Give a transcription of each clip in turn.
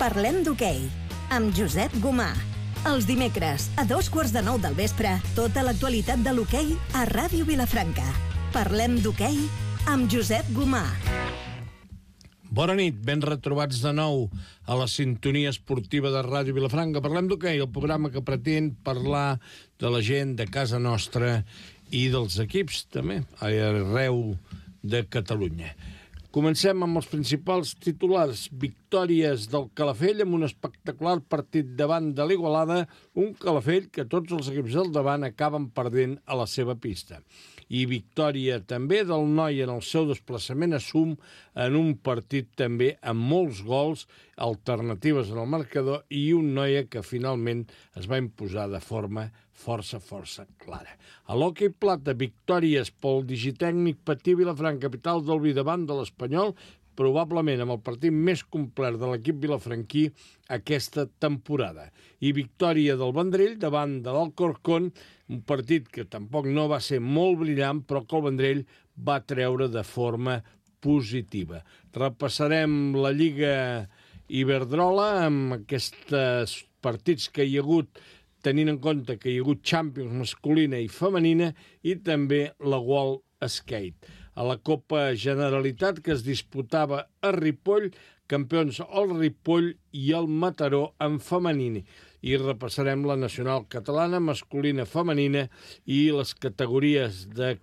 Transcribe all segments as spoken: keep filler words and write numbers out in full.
Parlem d'hoquei, amb Josep Gomà. Els dimecres, a dos quarts de nou del vespre, tota l'actualitat de l'hoquei a Ràdio Vilafranca. Parlem d'hoquei amb Josep Gomà. Bona nit, ben retrobats de nou a la sintonia esportiva de Ràdio Vilafranca. Parlem d'hoquei, el programa que pretén parlar de la gent de casa nostra i dels equips, també, arreu de Catalunya. Comencem amb els principals titulars. Victòries del Calafell amb un espectacular partit davant de l'Igualada, un Calafell que tots els equips del davant acaben perdent a la seva pista. I victòria també del Noi en el seu desplaçament a Sum en un partit també amb molts gols, alternatives en el marcador i un Noia que finalment es va imposar de forma força, força clara. A l'hoquei plata, victòries pel Digitècnic Patí Vilafranca, capital del vi davant de l'Espanyol, probablement amb el partit més complet de l'equip vilafranquí aquesta temporada. I victòria del Vendrell davant de l'Alcorcón, un partit que tampoc no va ser molt brillant, però que el Vendrell va treure de forma positiva. Repassarem la Lliga Iberdrola amb aquests partits que hi ha hagut, tenint en compte que hi ha hagut Champions masculina i femenina, i també la World Skate. A la Copa Generalitat, que es disputava a Ripoll, campions el Ripoll i el Mataró en femení. I repassarem la nacional catalana, masculina, femenina i les categories de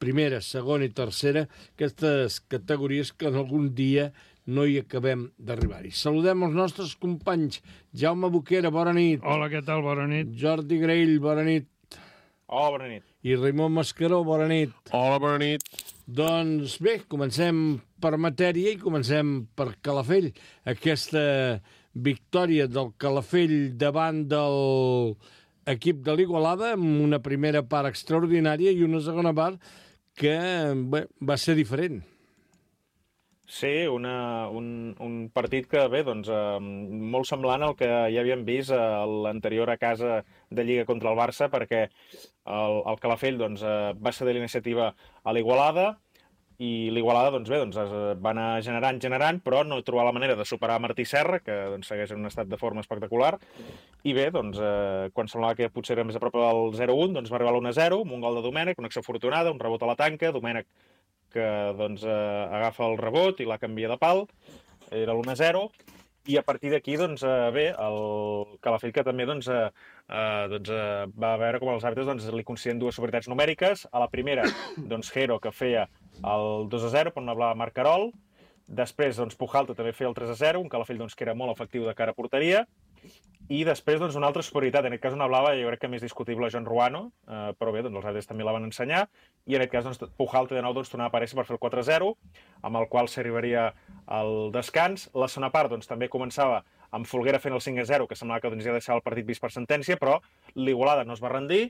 primera, segona i tercera, aquestes categories que en algun dia no hi acabem d'arribar-hi. Saludem els nostres companys. Jaume Boquera, bona nit. Hola, què tal? Bona nit. Jordi Graell, bona nit. Hola, bona nit. I Raimon Mascaró, bona nit. Hola, bona nit. Doncs bé, comencem per matèria i comencem per Calafell. Aquesta victòria del Calafell davant del equip de l'Igualada amb una primera part extraordinària i una segona part que bé, va ser diferent. Sí, una, un, un partit que, bé, doncs, eh, molt semblant al que ja havíem vist a l'anterior a casa de Lliga contra el Barça, perquè el, el Calafell doncs, eh, va ceder l'iniciativa a l'Igualada, i l'Igualada doncs, bé, doncs, es va anar generant, generant, però no trobar la manera de superar Martí Serra, que doncs, segueix en un estat de forma espectacular, i bé, doncs, eh, quan semblava que potser era més a prop del zero un, doncs va arribar a l'u a zero, amb un gol de Domènech, una acció afortunada, un rebot a la tanca, Domènech que doncs, eh, agafa el rebot i la canvia de pal, era l'u a zero, i a partir d'aquí, doncs, eh, bé, el Calafell que també doncs, eh, eh, doncs, eh, va veure com els àrbitres doncs, li concedien dues superioritats numèriques. A la primera, doncs, Jero, que feia el dos a zero per una blava Marcarol. Després, doncs, Pujalta també feia el tres a zero, un Calafell doncs, que era molt efectiu de cara a porteria. I després, doncs, una altra superioritat, en aquest cas una blava, jo crec que més discutible, Joan Ruano, eh, però bé, doncs, els àrbitres també la van ensenyar, i en aquest cas, doncs, Pujalta de nou doncs, tornava a aparèixer per fer el quatre a zero, amb el qual s'arribaria al descans. La segona part, doncs, també començava amb Folguera fent el cinc a zero, que semblava que doncs, ja deixava el partit vist per sentència, però l'Igualada no es va rendir,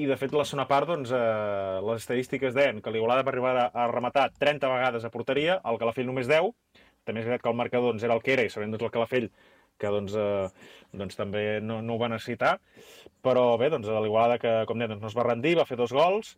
i de fet la segona part, doncs, eh, les estadístiques deien que l'Igualada va arribar a, a rematar trenta vegades a porteria, el Calafell només deu, també és veritat que el marcador doncs, era el que era, i sabent doncs, el Calafell que doncs, eh, doncs també no, no ho va necessitar, però bé, doncs l'Igualada que, com dèiem, doncs, no es va rendir, va fer dos gols,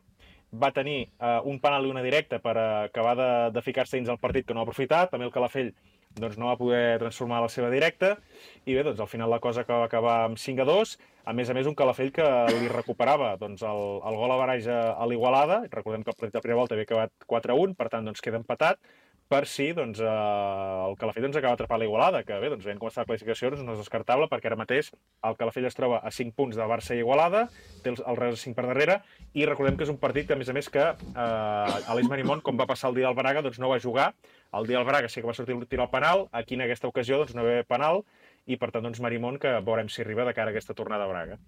va tenir eh, un penal i una directa per acabar de, de ficar-se dins el partit que no va aprofitar, també el Calafell doncs, no va poder transformar la seva directa, i bé, doncs al final la cosa que va acabar amb cinc a dos, a més a més un Calafell que li recuperava doncs, el, el gol a baralls a, a l'Igualada, recordem que el partit de primera volta havia acabat quatre a un, per tant doncs, queda empatat, per si doncs, eh, el Calafell doncs, acaba atrapant l'Igualada, que bé, doncs, veient com està la classificació doncs, no és descartable, perquè ara mateix el Calafell es troba a cinc punts de Barça i Igualada, té el, el Reus a cinc per darrere, i recordem que és un partit que, a més a més, que eh, Aleix Marimón, com va passar el dia del Braga, doncs, no va jugar. El dia del Braga sí que va sortir tirar el penal, aquí en aquesta ocasió doncs, no va haver penal, i per tant doncs, Marimón, que veurem si arriba de cara a aquesta tornada a Braga.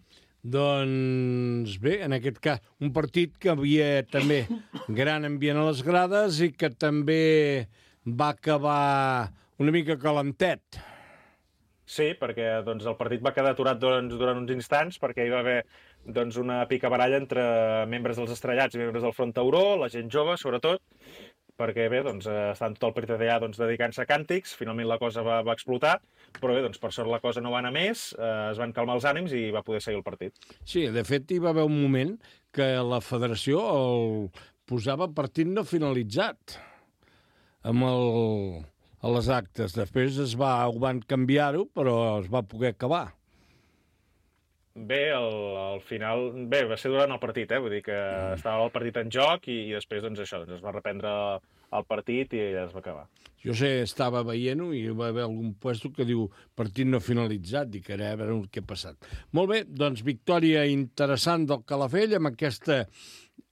Doncs bé, en aquest cas, un partit que havia també gran ambient a les grades i que també va acabar una mica calentet. Sí, perquè doncs, el partit va quedar aturat doncs, durant uns instants, perquè hi va haver doncs, una picabaralla entre membres dels estrellats i membres del Front Tauró, la gent jove, sobretot, perquè bé, doncs, estan tot el partit allà doncs, dedicant-se a càntics, finalment la cosa va, va explotar, però bé, doncs, per sort la cosa no va anar més, eh, es van calmar els ànims i va poder seguir el partit. Sí, de fet hi va haver un moment que la federació el posava partit no finalitzat, amb el, a les actes. Després es va, ho van canviar-ho, però es va poder acabar. Bé, al, al final... Bé, va ser durant el partit, eh? Vull dir que mm. estava el partit en joc i, i després, doncs, això, doncs es va reprendre el partit i ja es va acabar. Jo sé, estava veient-ho i va haver algun puesto que diu partit no finalitzat, dic, ara a veure què ha passat. Molt bé, doncs, victòria interessant del Calafell amb aquesta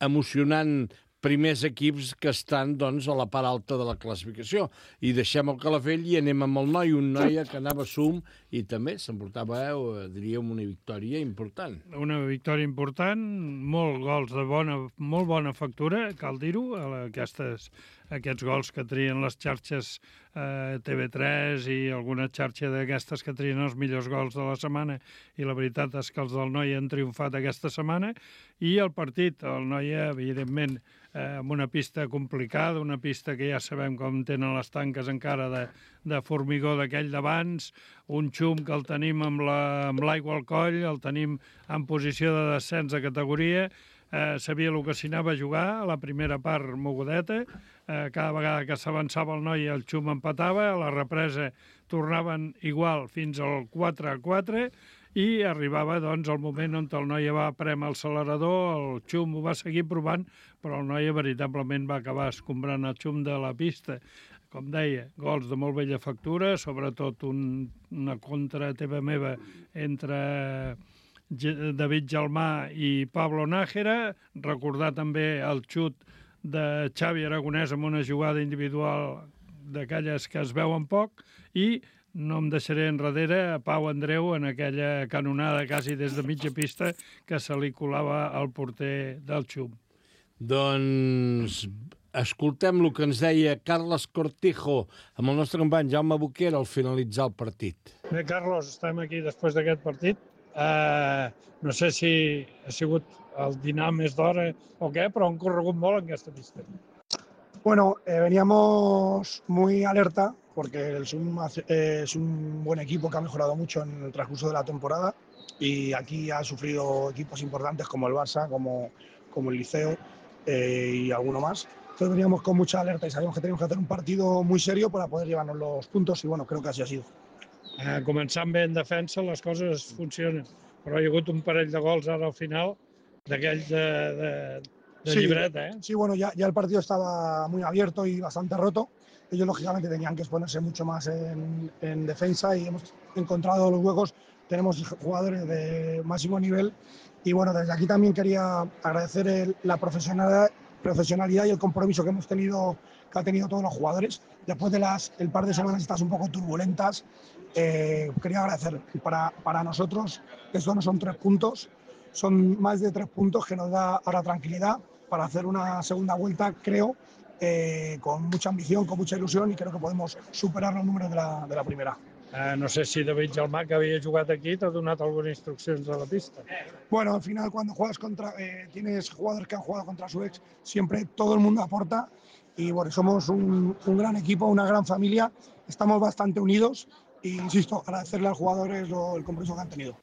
emocionant primers equips que estan, doncs, a la part alta de la classificació. I deixem el Calafell i anem amb el noi, un noi que anava sum i també s'emportava, eh, diríem, una victòria important. Una victòria important, molt gols de bona, molt bona factura, cal dir-ho, aquestes, aquests gols que trien les xarxes eh, T V tres i alguna xarxa d'aquestes que trien els millors gols de la setmana, i la veritat és que els del Noi han triomfat aquesta setmana, i el partit, el Noi, evidentment, eh, amb una pista complicada, una pista que ja sabem com tenen les tanques encara de, de formigó d'aquell d'abans, un xum que el tenim amb l'aigua la, al coll, el tenim en posició de descens de categoria, eh, sabia el que s'hi anava a jugar, a la primera part mogudeta, eh, cada vegada que s'avançava el Noi el xum empatava, a la represa tornaven igual fins al quatre a quatre, i arribava doncs el moment on el Noi va prémer l'accelerador, el xum ho va seguir provant, però el Noi veritablement va acabar escombrant el xum de la pista. Com deia, gols de molt bella factura, sobretot un, una contra teva meva entre David Gelmà i Pablo Nájera, recordar també el xut de Xavi Aragonès amb una jugada individual d'aquelles que es veuen poc, i no em deixaré enrere a Pau Andreu en aquella canonada quasi des de mitja pista que se li colava al porter del xum. Doncs escoltem el que ens deia Carles Cortijo amb el nostre company Jaume Boquera al finalitzar el partit. Bé, Carlos, estem aquí després d'aquest partit. Uh, no sé si ha sigut el dinar més d'hora o què, però han corregut molt en aquesta pista. Bueno, eh, veníamos muy alerta porque el Sum eh, es un buen equipo que ha mejorado mucho en el transcurso de la temporada y aquí ha sufrido equipos importantes como el Barça, como, como el Liceo eh, y alguno más. Entonces veníamos con mucha alerta y sabíamos que teníamos que hacer un partido muy serio para poder llevarnos los puntos y bueno, creo que así ha sido. Eh, començant bé en defensa les coses funcionen, però hi ha hagut un parell de gols ara al final d'aquells de, de, de sí, llibreta, ¿eh? Sí, bueno, ya, ya el partido estaba muy abierto y bastante roto. Ellos lógicamente tenían que exponerse mucho más en, en defensa y hemos encontrado los huecos. Tenemos jugadores de máximo nivel y bueno, desde aquí también quería agradecer el, la profesionalidad, profesionalidad y el compromiso que hemos tenido, que han tenido todos los jugadores. Después de las el par de semanas estas un poco turbulentas, eh, quería agradecer para, para nosotros, estos no son tres puntos, son más de tres puntos que nos da ahora tranquilidad para hacer una segunda vuelta, creo, eh, con mucha ambición, con mucha ilusión y creo que podemos superar los números de la, de la primera. Uh, no sé si David Gelmà, que havia jugat aquí, t'ha donat algunes instruccions a la pista. Bueno, al final cuando juegas contra, eh, tienes jugadores que han jugado contra su ex, siempre todo el mundo aporta y bueno, somos un, un gran equipo, una gran familia, estamos bastante unidos y insisto, agradecerle a los jugadores lo, el compromiso que han tenido.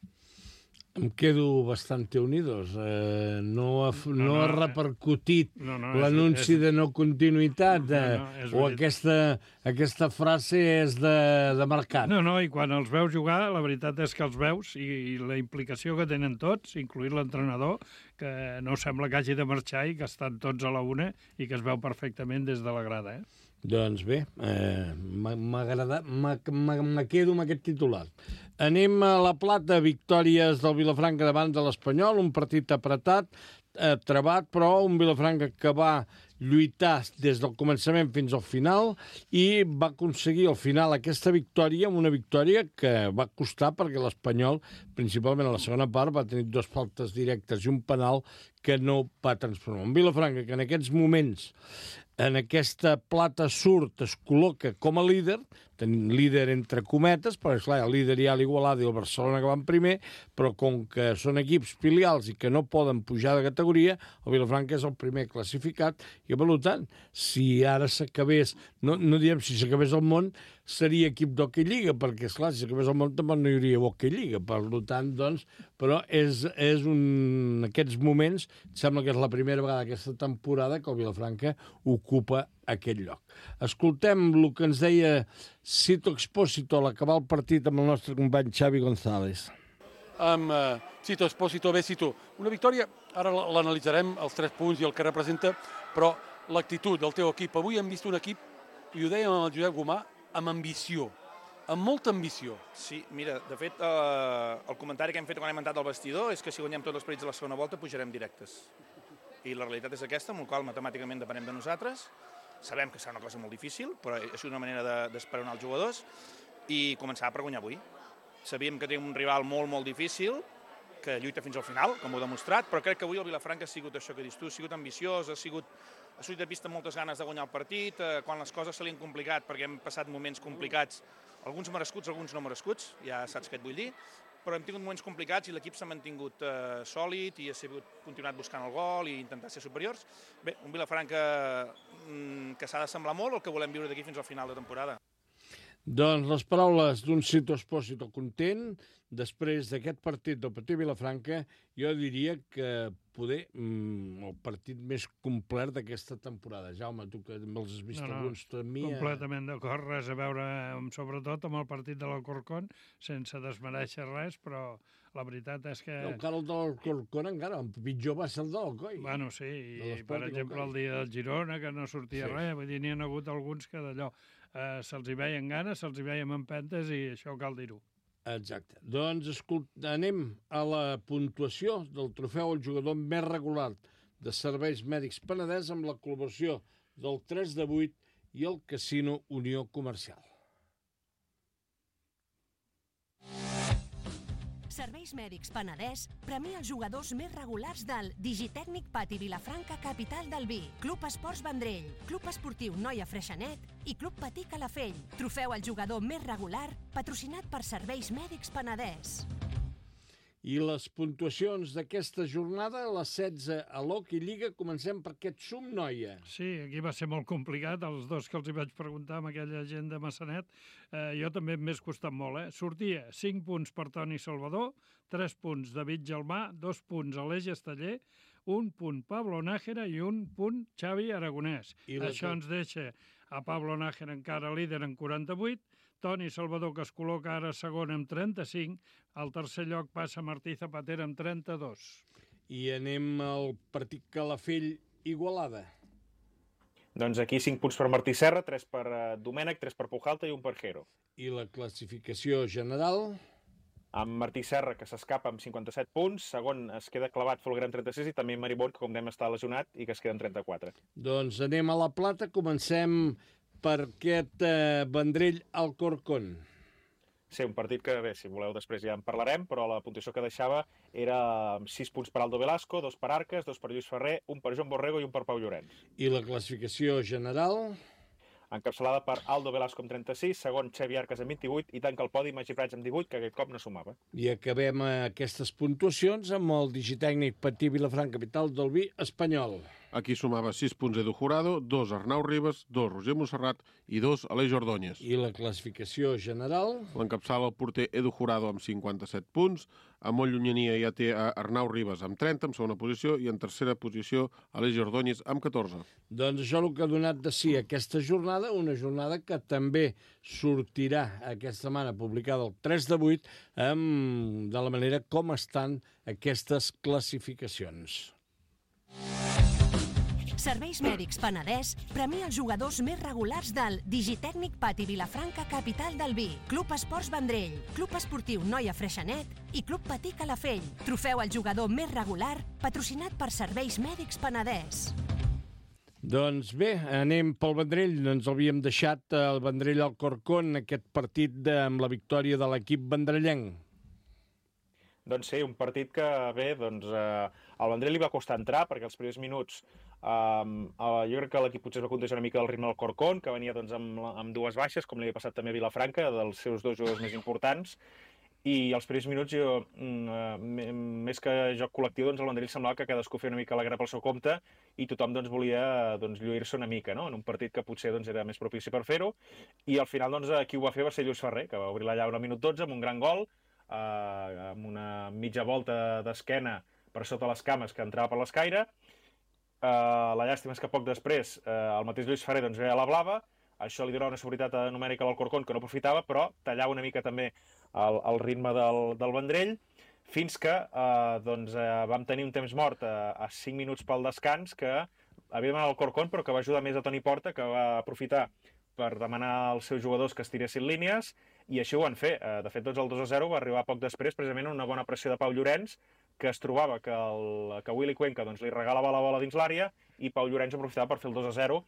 Em quedo bastante unidos. Eh, no, ha, no, no ha repercutit no, no, l'anunci de no continuïtat no, no, o aquesta, aquesta frase és de, de mercat. No, no, i quan els veus jugar, la veritat és que els veus i, i la implicació que tenen tots, incluït l'entrenador, que no sembla que hagi de marxar i que estan tots a la una i que es veu perfectament des de la grada, eh? Doncs bé, eh, m'agrada, me quedo amb aquest titular. Anem a la Plata, victòries del Vilafranca davant de l'Espanyol, un partit apretat, eh, trebat, però un Vilafranca que va lluitar des del començament fins al final i va aconseguir al final aquesta victòria, una victòria que va costar perquè l'Espanyol, principalment a la segona part, va tenir dues faltes directes i un penal que no va transformar. Un Vilafranca que en aquests moments en aquesta plata surt, es col·loca com a líder, tenim líder entre cometes, perquè esclar, el líder hi ha l'Igualada i el Barcelona que van primer, però com que són equips filials i que no poden pujar de categoria, el Vilafranca és el primer classificat, i per tant, si ara s'acabés, no, no diem si s'acabés el món, seria equip d'Hockey Lliga, perquè, esclar, si acabés el món tampoc no hi hauria Hockey Lliga, per tant, doncs, però és, és un... en aquests moments, sembla que és la primera vegada aquesta temporada que el Vilafranca ocupa aquest lloc. Escoltem el que ens deia Sito Expósito a l'acabar el partit amb el nostre company Xavi González. Amb uh, Sito Expósito, bé, Sito, una victòria, ara l'analitzarem, els tres punts i el que representa, però l'actitud del teu equip. Avui hem vist un equip, i ho dèiem amb el Josep Gomà, amb ambició, amb molta ambició. Sí, mira, de fet, eh, el comentari que hem fet quan hem entrat al vestidor és que si guanyem tots els partits de la segona volta pujarem directes. I la realitat és aquesta, amb la qual matemàticament depenem de nosaltres. Sabem que serà una cosa molt difícil, però és una manera d'esperonar els jugadors i començar per guanyar avui. Sabíem que tenim un rival molt, molt difícil, que lluita fins al final, com ho he demostrat, però crec que avui el Vilafranca ha sigut això que dius tu, ha sigut ambiciós, ha sigut ha sortit de pista amb moltes ganes de guanyar el partit, eh, quan les coses se li han complicat, perquè hem passat moments complicats, alguns merescuts, alguns no merescuts, ja saps què et vull dir, però hem tingut moments complicats i l'equip s'ha mantingut eh, sòlid i ha sigut, continuat buscant el gol i intentar ser superiors. Bé, un Vilafranca mm, que s'ha de semblar molt el que volem viure d'aquí fins al final de temporada. Doncs les paraules d'un Sito Expósito content, després d'aquest partit del Petit Vilafranca, jo diria que poder mm, el partit més complet d'aquesta temporada. Jaume, tu que els has vist no, no, alguns també... Completament d'acord, res a veure, sobretot amb el partit de l'Alcorcón, sense desmereixer res, però la veritat és que... Encara el de l'Alcorcón, encara, el pitjor va ser el de l'Alcoi. Bueno, sí, i per exemple el dia del Girona, que no sortia sí. res, vull dir, n'hi ha hagut alguns que d'allò eh, se'ls hi veien ganes, se'ls hi veien empentes i això cal dir-ho. Exacte. Doncs escolt, anem a la puntuació del trofeu al jugador més regular de Serveis Mèdics Penedès amb la col·laboració del tres de vuit i el Casino Unió Comercial. Serveis Mèdics Penedès premia els jugadors més regulars del Digitècnic Pati Vilafranca Capital del Vi, Club Esports Vendrell, Club Esportiu Noia Freixenet i Club Patí Calafell. Trofeu al jugador més regular patrocinat per Serveis Mèdics Penedès. I les puntuacions d'aquesta jornada, les setze a l'Hockey Lliga, comencem per aquest Sum Noia. Sí, aquí va ser molt complicat, els dos que els hi vaig preguntar amb aquella gent de Massanet, eh, jo també m'he costat molt, eh? Sortia cinc punts per Toni Salvador, tres punts David Gelmà, dos punts Aleix Esteller, un punt Pablo Nájera i un punt Xavi Aragonès. I això ens deixa a Pablo Nájera encara líder en quaranta-vuit, Toni Salvador, que es col·loca ara segon amb trenta-cinc, al tercer lloc passa Martí Zapatero amb trenta-dos. I anem al partit Calafell-Igualada. Doncs aquí cinc punts per Martí Serra, tres per Domènec, tres per Pujalta i un per Jero. I la classificació general? Amb Martí Serra, que s'escapa amb cinquanta-set punts, segon es queda clavat Folguera amb trenta-sis i també Maribón, que com dèiem està lesionat i que es queda amb trenta-quatre. Doncs anem a la plata, comencem per aquest eh, Vendrell Alcorcón. Sí, un partit que, bé, si voleu després ja en parlarem, però la puntuació que deixava era sis punts per Aldo Velasco, dos per Arques, dos per Lluís Ferrer, un per Joan Borrego i un per Pau Llorenç. I la classificació general? Encapçalada per Aldo Velasco amb trenta-sis, segon Xavi Arques amb vint-i-vuit i tanca el podi Magí Prats amb divuit, que aquest cop no sumava. I acabem aquestes puntuacions amb el digitècnic Patí Vilafranca Capital del Vi espanyol. Aquí sumava sis punts Edu Jurado, dos Arnau Ribas, dos Roger Montserrat i dos Aleix Ordóñez. I la classificació general? L'encapçala el porter Edu Jurado amb cinquanta-set punts, a molt llunyania ja té Arnau Ribas amb trenta, en segona posició, i en tercera posició Aleix Ordóñez amb catorze. Doncs això és el que ha donat de si aquesta jornada, una jornada que també sortirà aquesta setmana publicada el tres de vuit amb, de la manera com estan aquestes classificacions. Serveis Mèdics Penedès premia els jugadors més regulars del Digitècnic Pati Vilafranca Capital del Vi, Club Esports Vendrell, Club Esportiu Noia Freixenet i Club Patí Calafell. Trofeu al jugador més regular patrocinat per Serveis Mèdics Penedès. Doncs bé, anem pel Vendrell. Ens havíem deixat el Vendrell Alcorcón, aquest partit de, amb la victòria de l'equip vendrellenc. Doncs sí, un partit que, bé, doncs, eh, al Vendrell li va costar entrar, perquè els primers minuts eh, eh, jo crec que l'equip potser es va contagiar una mica del ritme del Corcón, que venia doncs, amb, amb dues baixes, com li havia passat també a Vilafranca, dels seus dos jugadors més importants, i els primers minuts, jo, mm, més que joc col·lectiu, doncs el Vendrell semblava que cadascú feia una mica la guerra pel seu compte i tothom doncs, volia doncs, lluir-se una mica, no? En un partit que potser doncs, era més propici per fer-ho, i al final doncs, qui ho va fer va ser Lluís Ferrer, que va obrir la llauna al minut dotze amb un gran gol, eh, amb una mitja volta d'esquena per sota les cames que entrava per l'escaire. Uh, la llàstima és que poc després uh, el mateix Lluís Ferrer doncs, veia la blava, això li donava una seguretat numèrica a l'Alcorcón que no aprofitava, però tallava una mica també el, el ritme del, del Vendrell, fins que uh, doncs, uh, vam tenir un temps mort a, a cinc minuts pel descans que havia demanat l'Alcorcón, però que va ajudar més a Toni Porta, que va aprofitar per demanar als seus jugadors que estiressin línies, i així ho van fer. Uh, de fet, doncs, el dos a zero va arribar poc després, precisament una bona pressió de Pau Llorenç, que es trobava que, el, que Willy Cuenca doncs, li regalava la bola dins l'àrea i Pau Llorenç aprofitava per fer el dos a zero,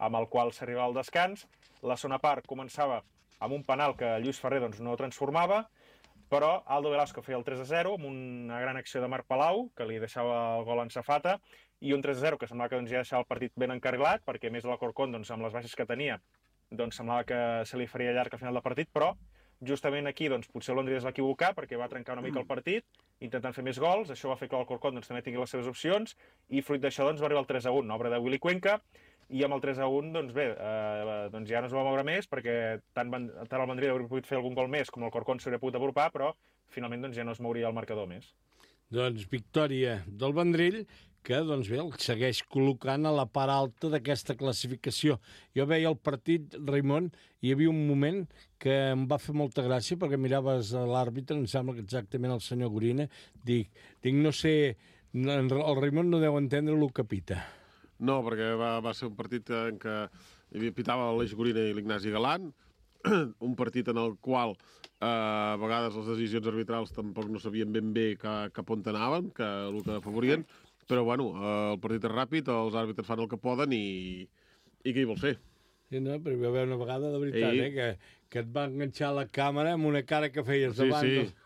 amb el qual s'arribava al descans. La segona part començava amb un penal que Lluís Ferrer doncs, no transformava, però Aldo Velasco feia el tres a zero amb una gran acció de Marc Palau, que li deixava el gol en safata, i un tres a zero que semblava que doncs, ja deixava el partit ben encarrilat, perquè més de l'Alcorcón, doncs, amb les baixes que tenia, doncs, semblava que se li faria llarg al final del partit, però justament aquí doncs, potser el Londres es va equivocar perquè va trencar una mica el partit, intentant fer més gols, això va fer que l'Alcorcón doncs, també tingui les seves opcions, i fruit d'això doncs, va arribar el tres a un, obra de Willy Cuenca, i amb el tres a un doncs bé, eh, doncs ja no es va moure més, perquè tant, tant el Vendrell hauria pogut fer algun gol més com l'Alcorcón s'hauria pogut apropar, però finalment doncs, ja no es mouria el marcador més. Doncs victòria del Vendrell, que doncs bé, el segueix col·locant a la part alta d'aquesta classificació. Jo veia el partit, Raimon, i hi havia un moment que em va fer molta gràcia, perquè miraves a l'àrbitre, em sembla que exactament el senyor Gorina, dic, dic no sé, el Raimon no deu entendre el que pita. No, perquè va, va ser un partit en què hi havia pitava l'Eix Gorina i l'Ignasi Galant, un partit en el qual eh, a vegades les decisions arbitrals tampoc no sabien ben bé cap, cap on anaven, que el que afavorien, però bueno, eh, el partit és ràpid, els àrbitres fan el que poden i, i què hi vols fer? Sí, no, però hi va haver una vegada, de veritat, I... eh, que, que et va enganxar la càmera amb una cara que feies sí, davant. Sí, sí.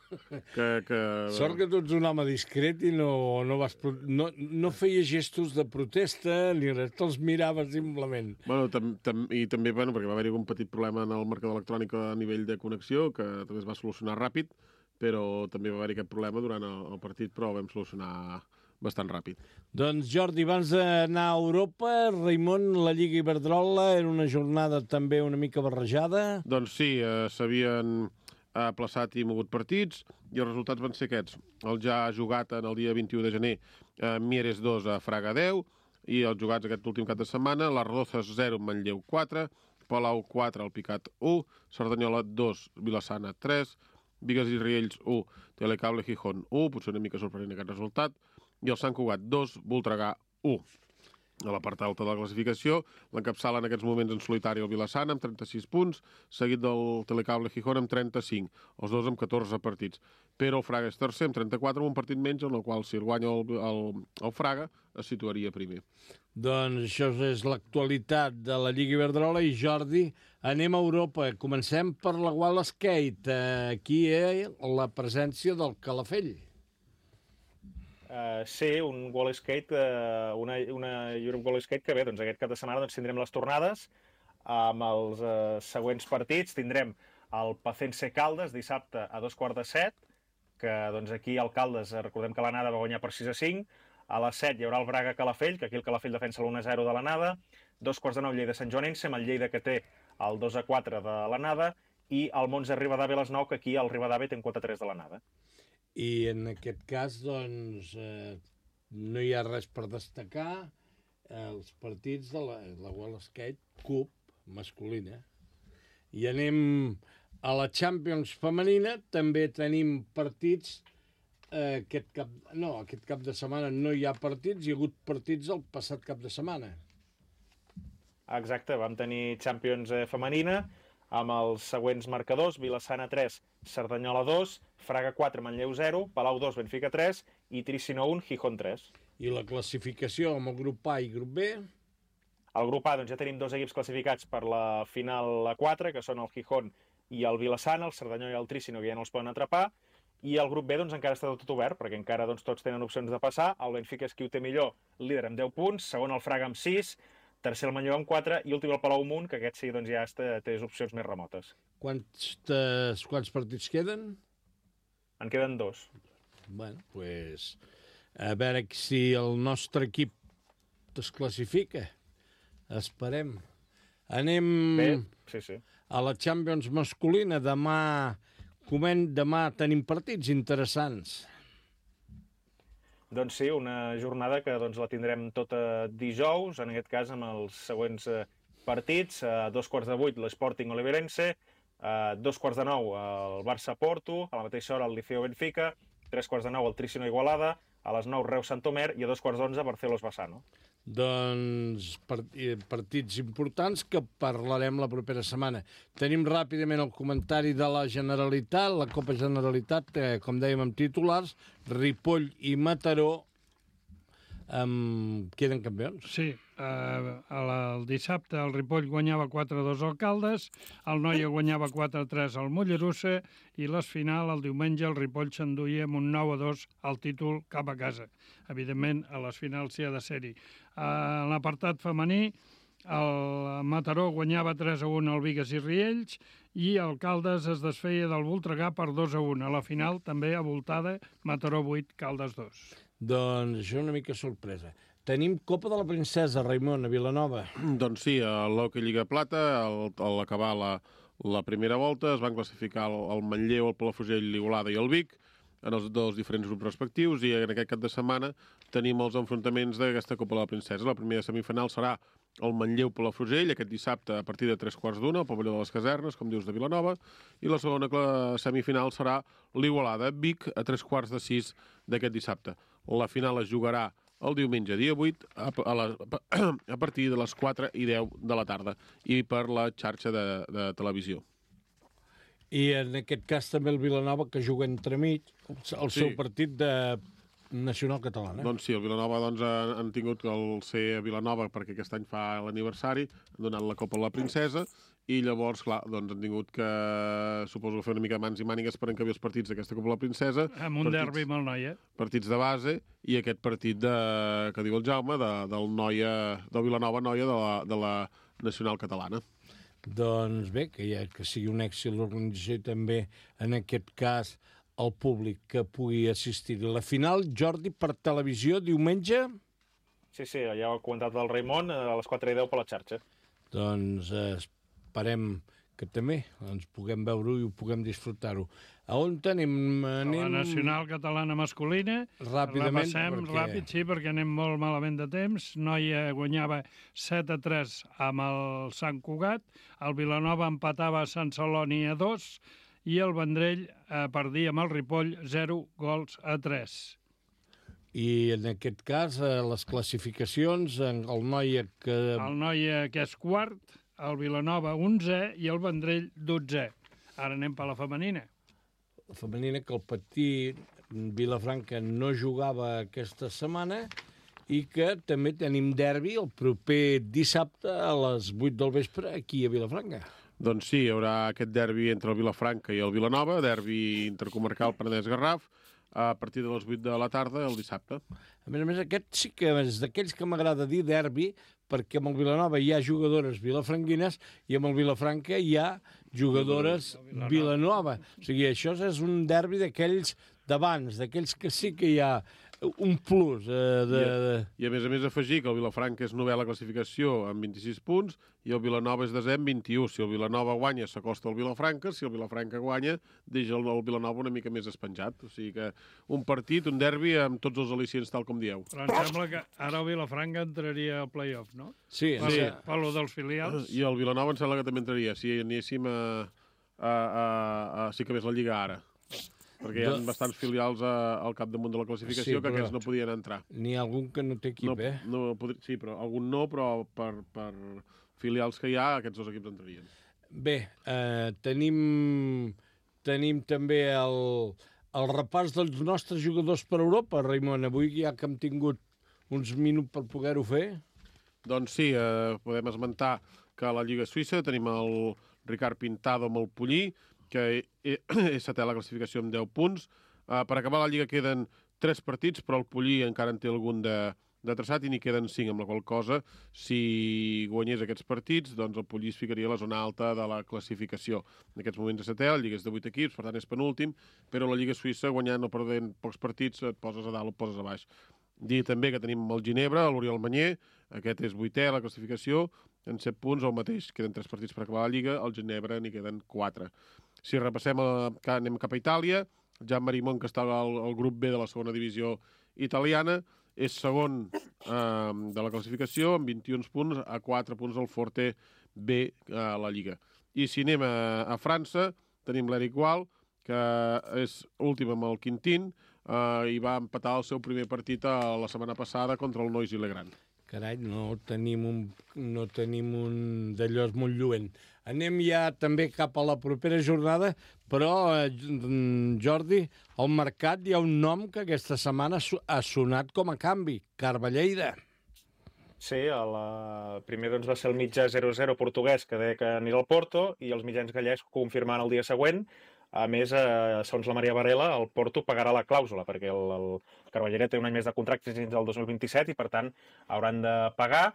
Que, que... Sort que tu ets un home discret i no, no, vas, no, no feia gestos de protesta ni res, te'ls miraves simplement. Bueno, tam, tam, i també, bueno, perquè va haver-hi un petit problema en el marcador electrònic a nivell de connexió, que també es va solucionar ràpid, però també va haver-hi aquest problema durant el, el partit, però ho vam solucionar bastant ràpid. Doncs Jordi, abans d'anar a Europa, Raimon, la Lliga Iberdrola era una jornada també una mica barrejada? Doncs sí, eh, s'havien ha aplaçat i mogut partits, i els resultats van ser aquests. El ja jugat en el dia vint-i-u de gener, eh, Mieres dos a Fraga deu, i els jugats aquest últim cap de setmana, les Rozas zero, Manlleu quatre, Palau quatre, el Picat u, Cerdanyola dos, Vilassana tres, Bigues i Riells u, Telecable Gijón u, potser una mica sorprenent aquest resultat, i el Sant Cugat dos, Voltregà u. A la part alta de la classificació, l'encapçala en aquests moments en solitari el Vilassana amb trenta-sis punts, seguit del Telecable Gijón amb trenta-cinc, els dos amb catorze partits. Però el Fraga és tercer amb trenta-quatre, amb un partit menys, en el qual si el guanya el, el, el Fraga es situaria primer. Doncs això és l'actualitat de la Lliga Iberdrola i Jordi, anem a Europa. Comencem per la Wall Skate. Aquí hi ha la presència del Calafell. Uh, sí, un Wall Skate, uh, una, una Europe Wall Skate que bé, doncs aquest cap de setmana doncs, tindrem les tornades amb els uh, següents partits. Tindrem el Pacense Caldes dissabte a dos quarts de set, que doncs, aquí al Caldes, recordem que l'anada va guanyar per sis a cinc. A les set hi haurà el Braga Calafell, que aquí el Calafell defensa l'un a zero de l'anada. Dos quarts de nou Lleida Sant Joanense, amb el Lleida que té el dos a quatre de l'anada. I el Monza Ribadave a les nou, que aquí el Ribadave té un quatre a tres de l'anada. I en aquest cas, doncs, eh, no hi ha res per destacar els partits de la, la World Skate Cup masculina. I anem a la Champions femenina, també tenim partits eh, aquest cap... No, aquest cap de setmana no hi ha partits, hi ha hagut partits el passat cap de setmana. Exacte, vam tenir Champions femenina, amb els següents marcadors: Vilassana tres, Cerdanyola dos, Fraga quatre, Manlleu zero, Palau dos, Benfica tres i Tricino un, Gijón tres. I la classificació amb el grup A i grup B? Al grup A doncs, ja tenim dos equips classificats per la final a quatre, que són el Gijón i el Vilassana, el Cerdanyola i el Tricino, que ja no els poden atrapar, i el grup B doncs, encara està tot obert, perquè encara doncs, tots tenen opcions de passar. El Benfica és qui ho té millor, líder amb deu punts, segon el Fraga amb sis, tercer el Manlleu amb quatre i últim el Palau Munt, que aquest sí doncs, ja té, té opcions més remotes. Quants, quants partits queden? En queden dos. Bueno, doncs, pues, a veure si el nostre equip es classifica. Esperem. Anem Bé, sí, sí. a la Champions masculina. Demà, coment, demà tenim partits interessants. Doncs sí, una jornada que doncs, la tindrem tota dijous, en aquest cas amb els següents eh, partits. A dos quarts de vuit l'Sporting Oliverense, a dos quarts de nou el Barça-Porto, a la mateixa hora el Liceo-Benfica, tres quarts de nou el Trícino Igualada, a les nou Reus-Santomer i a dos quarts d'onze Barcelos-Bassano. Doncs partits importants que parlarem la propera setmana. Tenim ràpidament el comentari de la Generalitat, la Copa Generalitat, eh, com dèiem, amb titulars, Ripoll i Mataró um, queden campions. Sí, eh, el dissabte el Ripoll guanyava quatre a dos al Caldes, el Noia guanyava quatre a tres al Mollerussa i les final, el diumenge, el Ripoll s'enduia amb un nou a dos al títol cap a casa. Evidentment, a les finals s'hi ha de ser-hi. En l'apartat femení, el Mataró guanyava tres a un al Bigues i Riells i el Caldes es desfeia del Voltregà per dos a un. A la final, també avoltada, Mataró vuit, Caldes dos. Doncs això una mica sorpresa. Tenim Copa de la Princesa, Raimon, a Vilanova. Doncs sí, a l'Hockey Lliga Plata, al, a l'acabar la, la primera volta, es van classificar el, el Manlleu, el Palafrugell, l'Igualada i el Vic, en els dos diferents grups respectius, i en aquest cap de setmana tenim els enfrontaments d'aquesta Copa de la Princesa. La primera semifinal serà el Manlleu-Palafrugell, aquest dissabte a partir de tres quarts d'una, al pavelló de les Casernes, com dius, de Vilanova, i la segona semifinal serà l'Igualada-Vic a tres quarts de sis d'aquest dissabte. La final es jugarà el diumenge, dia vuit, a, a, la, a partir de les quatre i deu de la tarda, i per la xarxa de, de televisió. I en aquest cas també el Vilanova, que juga entremig el Sí. seu partit de nacional catalana. Doncs sí, el Vilanova doncs, han, han tingut el ser a Vilanova perquè aquest any fa l'aniversari, han donat la Copa a la Princesa, i llavors, clar, doncs han tingut que, suposo, fer una mica mans i mànigues per encabir els partits d'aquesta Copa a la Princesa. Amb un partits, derbi amb el Noia. Partits de base, i aquest partit de, que diu el Jaume, de, del Noia, del Vilanova Noia de la, de la nacional catalana. Doncs bé, que, ja, que sigui un èxit l'organització i també, en aquest cas, el públic que pugui assistir. La final, Jordi, per televisió, diumenge? Sí, sí, ja ho ha comentat el Raimon, a les quatre i deu per la xarxa. Doncs eh, esperem que també ens puguem veure-ho i ho puguem disfrutar-ho. A on tenim? Anem... La nacional catalana masculina. Ràpidament, Repassem perquè... ràpid, sí, perquè anem molt malament de temps. Noia guanyava set a tres amb el Sant Cugat, el Vilanova empatava a Sant Celoni a dos i el Vendrell eh, perdia amb el Ripoll zero gols a tres. I en aquest cas, eh, les classificacions, el Noia que... El Noia, que és quart, el Vilanova onzè i el Vendrell dotzè. Ara anem per la femenina. La femenina, que el petit Vilafranca no jugava aquesta setmana i que també tenim derbi el proper dissabte a les vuit del vespre aquí a Vilafranca. Doncs sí, hi haurà aquest derbi entre el Vilafranca i el Vilanova, derbi intercomarcal Penedès-Garraf, a partir de les vuit de la tarda el dissabte. A més a més, aquest sí que és d'aquells que m'agrada dir derbi, perquè amb el Vilanova hi ha jugadores vilafranquines i amb el Vilafranca hi ha jugadores Vilanova. O sigui, això és un derbi d'aquells d'abans, d'aquells que sí que hi ha un plus. Eh, de... I, a, I a més a més afegir que el Vilafranca és novè a la classificació amb vint-i-sis punts i el Vilanova és desè amb vint-i-u. Si el Vilanova guanya s'acosta al Vilafranca, si el Vilafranca guanya deixa el, el Vilanova una mica més espenjat. O sigui que un partit, un derbi amb tots els al·licients tal com dieu. Però em sembla que ara el Vilafranca entraria al play-off, no? Sí, per, sí. Per lo dels filials. I el Vilanova em sembla que també entraria, si anéssim a, a, a, a sí que més la Lliga ara. Perquè hi ha bastants filials a, al capdamunt de la classificació, sí, que aquests no podien entrar. N'hi ha algun que no té equip, no, eh? No, podri... Sí, però algun no, però per, per filials que hi ha, aquests dos equips entrarien. Bé, eh, tenim, tenim també el, el repàs dels nostres jugadors per Europa, Raimon. Avui ja que hem tingut uns minuts per poder-ho fer. Doncs sí, eh, podem esmentar que a la Lliga Suïssa tenim el Ricard Pintado amb el Pollí, que és setè a la classificació amb deu punts. Uh, per acabar la Lliga queden tres partits, però el Pollí encara en té algun de, de traçat i n'hi queden cinc, amb la qual cosa, si guanyés aquests partits, doncs el Pollís ficaria a la zona alta de la classificació. En aquests moments és setè, la Lliga és de vuit equips, per tant és penúltim, però la Lliga Suïssa, guanyant o perdent pocs partits, et poses a dalt o et poses a baix. Dir també que tenim el Ginebra, l'Oriol Manyer, aquest és vuitè a la classificació, en set punts, el mateix, queden tres partits per acabar la Lliga, al Ginebra n'hi queden quatre. Si repassem, a, anem cap a Itàlia, Jan Marimon, que està al, al grup B de la segona divisió italiana, és segon eh, de la classificació, amb vint-i-un punts, a quatre punts del Forte B a la Lliga. I si anem a, a França, tenim l'Eric Gual, que és últim amb el Quintín, eh, i va empatar el seu primer partit a, la setmana passada contra el Noisy-le-Grand. Carai, no tenim un, no tenim un d'allò molt lluent. Anem ja també cap a la propera jornada, però, eh, Jordi, al mercat hi ha un nom que aquesta setmana ha sonat com a canvi, Carballeira. Sí, el primer doncs, va ser el mitjà zero zero portuguès que deia que anirà al Porto i els mitjans gallecs confirmant el dia següent. A més, eh, segons la Maria Varela, el Porto pagarà la clàusula, perquè el, el Carballeira té un any més de contracte fins al dos mil vint-i-set i, per tant, hauran de pagar.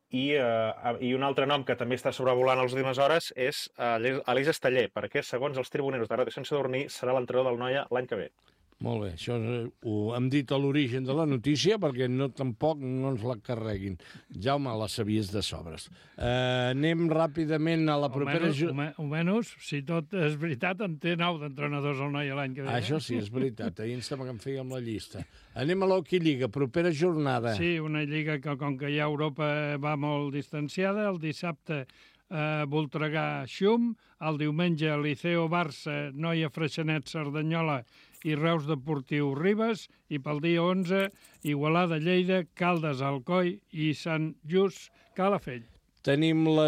I, eh, I un altre nom que també està sobrevolant a les últimes hores és eh, Aleix Esteller, perquè, segons els tribuneros de Ràdio Sant Sadurní, serà l'entrenador del Noia l'any que ve. Molt bé, això ho hem dit a l'origen de la notícia perquè no tampoc no ens la carreguin. Jaume, la sabies de sobres. Uh, anem ràpidament a la propera... Almenys, si tot és veritat, en té nou d'entrenadors al Noia l'any que ve. Això sí, és veritat. Ahir ens sembla que em fèiem la llista. Anem a l'Hockey Lliga, propera jornada. Sí, una lliga que, com que ja Europa va molt distanciada, el dissabte eh, Voltregà-Xum, el diumenge Liceo Barça, Noia Freixenet Cerdanyola i Reus Deportiu Ribes, i pel dia onze, Igualada Lleida, Caldes Alcoi i Sant Just Calafell. Tenim la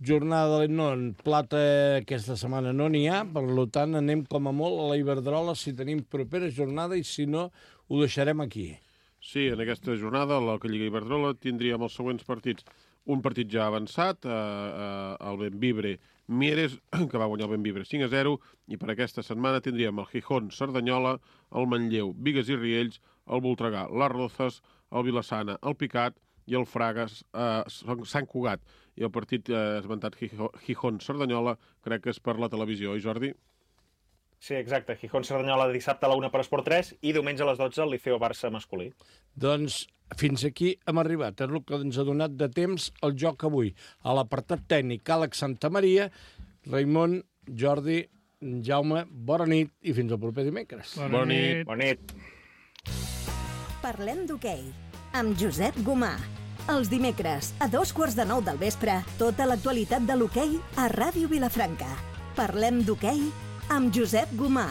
jornada de no, en plata aquesta setmana no n'hi ha, per tant anem com a molt a la Iberdrola si tenim propera jornada i si no ho deixarem aquí. Sí, en aquesta jornada, a la Lliga Iberdrola, tindríem els següents partits. Un partit ja avançat, eh, eh, el Benvibre Mieres, que va guanyar el Benvibre cinc a zero, i per aquesta setmana tindríem el Gijón Cerdanyola, el Manlleu Bigues i Riells, el Voltregà Les Rozas, el Vilassana el Picat i el Fragas eh, Sant Cugat. I el partit eh, esmentat Gijón Cerdanyola crec que és per la televisió, oi Jordi? Sí, exacte. Gijón Cerdanyola dissabte a la una per Esport tres i diumenge a les dotze el Liceo Barça masculí. Doncs fins aquí hem arribat. És el que ens ha donat de temps el joc avui. A l'apartat tècnic, Àlex Santamaria, Raimon, Jordi, Jaume, bona nit i fins al proper dimecres. Bona, bona nit. Bona nit. Parlem d'hoquei amb Josep Gomà. Els dimecres, a dos quarts de nou del vespre, tota l'actualitat de l'hoquei a Ràdio Vilafranca. Parlem d'hoquei amb Josep Gomà.